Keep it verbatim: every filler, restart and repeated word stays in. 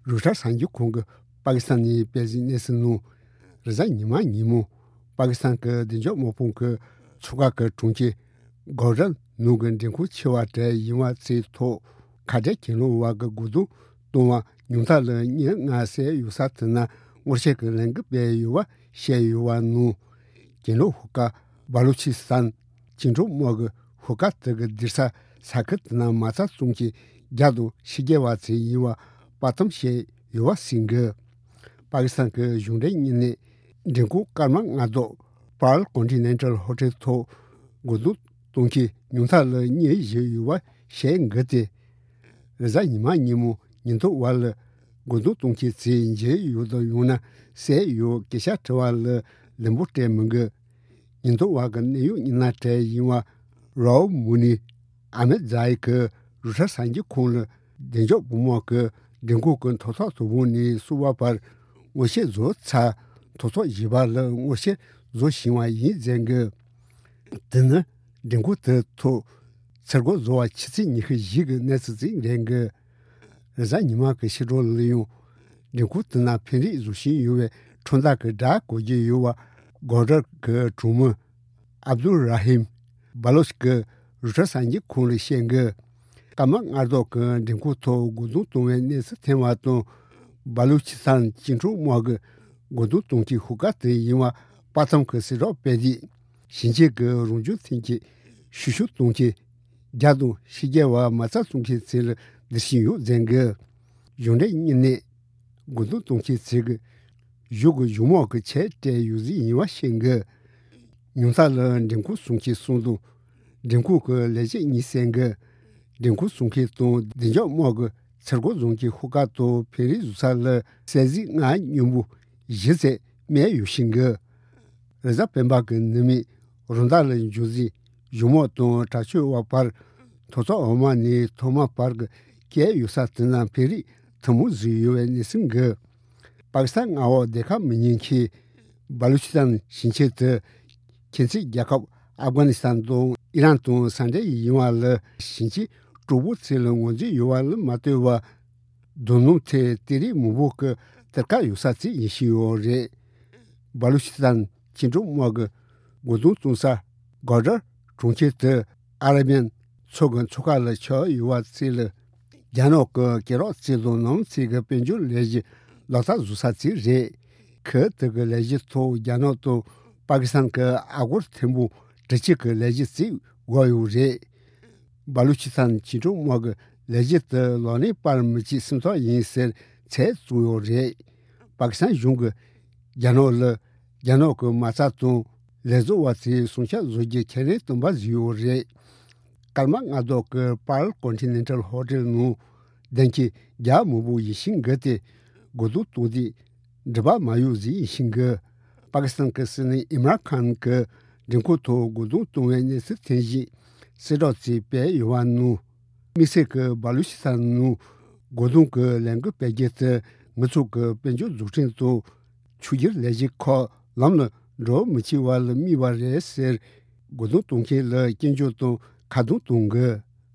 རོའི་ཊར་གསར་འགྱུར་ཁང་གིས་པ་ཀི་སི་ཐན་ནས་སྤེལ་བའི་གནས་ཚུལ་ནང། རེས་གཟའ་ཉི་མ་ཉིན་མོ་པ་ཀི་སི་ཐན་གྱི་བདེ་འཇགས་དམག་དཔུང་གིས་མཚོ་ཁ་གི་གྲོང་ཁྱེར Gwadar ནང་གི་འགྲེམས་ཁང་ཆེ་བ་གྲས་ཡིན་པ་ཚོའི་ཐོག་ཁ་བྲལ་གྱེན་ལོག་པ་གིས་རྒོལ་རྡུང་བཏང་བ་ཉུང་མཐའ་ལ་མི་ལྔ་བསད་ཡོད་ས་དེ་ན་སྔོག་བཤེར་གྱི་ལས་འགུལ་སྤེལ་ཡོད་པ་བཤད་ཡོད་པ་ནང། གྱེན་ལོག་ཤོག་ཁག་སྦ་ལོ་ཆི་སི་ཐན་བཅིངས་འགྲོལ་དམག་གི་ཤོག་ཁག་དེ་གི་སྡོད་ས་ས་ཁུལ་དེ་ན་མ་རྩ་བཙོང་མཁན་རྒྱ་དང་ཕྱི་རྒྱལ་བ་ཚོ་ཡིན་པ་དཔའ་གཏམ་བཤད་ཡོད་པ་ཟེར་གི། པ་ཀི་སི་ཐན་གྱི་གཞུང་འབྲེལ་གཉིས་ནས་མགྲོན་ཁང་སྐར་མ་ལྔ་ཐོག Pearl Continental Hotel ཐོག་རྒོལ་རྡུང་གཏོང་མཁན་ཉུང་མཐའ་ལ་མི་བཞི་ཡོད་པ་བཤད་འགི་སྟེ། རེས་གཟའ་ཉི་མ་ཉིན་མོ་ཉེན་རྟོག་པ་ལ་རྒོལ་རྡུང་གཏོང་མཁན་ཚོས་འཇུས་ཡོད་དང་ཡང་ན་བསད་ཡོད་སྐད་ཆ་དྲི་བ་ལ་ལན་པོ་སྤྲད་མི་འགི། ཉེན་རྟོག་པ་གི་གནད་ཡོད་མི་སྣ་གྲས་ཡིན་པ་རའོ་མུ་ནི་ཨ་མེད་ཛ་ཡི་གིས་རོའི་ཊར་གསར་འགྱུར་ཁང་ལ་བདེ་འཇགས་དཔུང་དམག་གིས་མགྲོན་ཁང་གི་ཐོག་ས་དང་པོ་ནས་གསུམ་པ་བར་སྔོག་བཤེར་བཟོ་ཚར་ཐོག་ས་བཞི་པ་ལ་སྔོག་བཤེར་བཟོ་བཞིན་པ་ཡིན་ཟེར་གི། དེ་ནི་མགྲོན་ཁང་དེའི་ཐོག་ཚུར་རྒོལ་བཟོ་བ་ཆུ་ཚོད་ཉི་ཤུ་བཞི་གི་གནས་ཚུལ་ཞིག་རེད་འགི། རེས་གཟའ་ཉི་མ་གི་ཕྱི་དྲོ་ལ་ཡང་མགྲོན་ཁང་དེ་ན་འཕེན་རེས་བཟོ་བཞིན་ཡོད་པའི་ཁྲོན་ཐག་གི་སྒྲ་གོ་རྒྱུ་ཡོད་པ Gwadar གི་གྲོང་མི Abdul Rahim Baloch གིས་རོའི་ཊར་གསར་འགྱུར་ཁང་ལ་བཤད་འགི། སྐར་མ་ལྔ་ཐོག་གི་མགྲོན་ཁང་ཐོག་རྒོལ་རྡུང་གཏོང་བའི་གནས་ཚུལ་ཐོན་པ་དང། སྦ་ལུ་ཆི་སྟན་བཅིངས་འགྲོལ་དམག་གིས་རྒོལ་རྡུང་གཏོང་མཁན་ཤོག་ཁག་དེ་ཡིན་པ་དཔའ་གཏམ་གྱི་གསལ་སྒྲོག་སྤེལ་དུས། ཞིང་ཆེན་གྱི་རང་བྱུང་ཐོན་སྐྱེད་བཤུ་གཞོག་གཏོང་མཁན་རྒྱ་དང་ཕྱི་རྒྱལ་བ་མ་རྩ་བཙོང་མཁན་ཚོ་ལ་སྡེར་བཞིན་ཡོད་ཟེར་གི། གཞུང་འབྲེལ་གཉིས་ནས་རྒོལ་རྡུང་གཏོང་མཁན་ཚོ་གིས་གཞུང་གི་གཞུང་དམག་གི་ཆས་སྤྲས་ཡོད་ཟིག་ཡིན་པ་བཤད་གི། ཉུང་མཐའ་ལ་མགྲོན་ཁང་སྲུང་མཁན་གསུམ་དང། མགྲོན་ཁང་གི་ལས་བྱེད་གཉིས་བསད་གི། མགྲོན་ཁང་སྲུང་མཁན་དང་བདེ་འཇགས་དམག་གིས་ཚུར་རྒོལ་བཟོ་མཁན་ཤོག་ཁག་དང་འཕེན་རེས་བཟོ་ས་ལ་སྲས་གཟིགས་ལྔ་སྨྱོན་པོ་བཞི་ཙམ་རྨས་ཡོད་བཞིན་གི། རེས་གཟའ་སྤེན་པ་གི་ནུབ་མའི་རོ་མདའ་ལ་འཇུ་ཟིན་གཞུང་དམག་དང་དྲག་སྤྱོད་པ་བར་ཐོག་བརྩེགས་འོག་མ་ནས་ཐོག་མ་བར་གྱི་སྐྱེལ་ཡོད་ས་དེ་ན་འཕེན་རེས་ཐུན་མོང་བཟོས་ཡོད་པའི་གནས་ཚུལ་འགི། པ་ཀི་སི་ཐན་མངའ་འོག་སྡོད་ཁ་མི་ཉན་མཁན་སྦ་ལུ་ཆི་ཐན་ཞིང་ཆེན་དུ་ཁྱིམ་མཚེས་རྒྱལ་ཁབ་ཨབ་གྷ་ནི་སི་ཐན་དང་ཨི་རན་དང་ས་འབྲེལ་ཡིན་བ་ལ་ཞིང་ཆེན་དྲུག་པོ་ཚོ་ལ་ངོས་འཛིན་ཡོད་པ་ལ་མ་ལྟོས་པར། རྡོ་སྣུམ་ཐད་གཏེར་རི་མང་པོ་གི་གཏེར་ཁ་ཡོད་ས་ཅིག་ཡིན་བཞིན་ཡོད་རེད། སྦ་ལུ་ཆི་ཐན་བཅིངས་འགྲོལ་དམག་གི་རྒོལ་རྡུང་གཏོང་ས Gwadar གྲོང་ཁྱེར་དུ་ཨ་ར་པན་མཚོ་གི་མཚོ་ཁ་ལ་ཆགས་ཡོད་པ་ཚོ་ལ་རྒྱ་ནག་གི་སྐེ་རགས་ཚོ་དང་ནང་ཚིག་གི་དཔལ་འབྱོར་ལས་གཞི་ལག་བསྟར་བཟོ་ས་ཅིག་རེད། ཁུལ་དེ་གི་ལས་གཞི་ཐོག་རྒྱ་ནག་དང་པ་ཀི་སི་ཐན་གྱི་ཨ་སྒོར་ཐེར་འབུམ་དྲུག་ཅུ་གི་ལས་གཞི་ཅིག་དགོས་ཡོད་རེད། སྦ་ལུ་ཆི་ཐན་བཅིངས་འགྲོལ་དམག་གི་ལས་གཞི་དེ་ལག་ལེན་བསྟར་མི་བྱེད་སེམས་ཐག་ཡིན་ཟེར་ཚད་བཙུགས་ཡོད་རེད། པ་ཀི་སི་ཐན་གཞུང་གིས་རྒྱ་ནག་ལ་རྒྱ་ནག་གི་མ་རྩ་དང་ལས་བཟོ་བ་ཚོའི་སྲུང་བྱ་བཟོ་རྒྱུའི་ཁས་ལེན་བཏོན་པ་བཟོས་ཡོད་རེད། སྐར་མ་ལྔ་ཐོག་གི Pearl Continental Hotel ནང་སྡོད་མཁན་རྒྱ་མང་པོ་ཡིན་ཞིང་གི་སྟེ་རྒོལ་རྡུང་གཏོང་དུས་འགྲུལ་པ་མ་ཡོད་ཟིག་ཡིན་ཞིང་གི། པ་ཀི་སི་ཐན་གྱི་སྲིད་བློན་ཨིམ་ར་ཁཱན་གྱིས་མགྲོན་ཁང་ཐོག་རྒོལ་རྡུང་གཏོང་བའི་གནས་ཚུལ་ཐོན་རྗེས་གསལ་བསྒྲགས་ཅིག་སྤེལ་ཡོད་པ་ནང། དམིགས་བསལ་གྱིས་སྦ་ལུ་ཆི་ཐན་ནང་རྒོལ་རྡུང་གི་ལས་འགུལ་སྤེལ་རྒྱུ་དེ་ང་ཚོ་གི་དཔལ་འབྱོར་འཛུགས་སྐྲུན་དང་ཆུ་སྒྱུར་ལས་གཞི་ཁག་ལམ་ལ་འགྲོ་མི་བཅུག་པ་ལ་དམིགས་པ་རེད་ཟེར། རྒོལ་རྡུང་གཏོང་མཁན་ལ་སྐྱོན་བརྗོད་དང་ཁ་རྡུང་གཏོང་གི།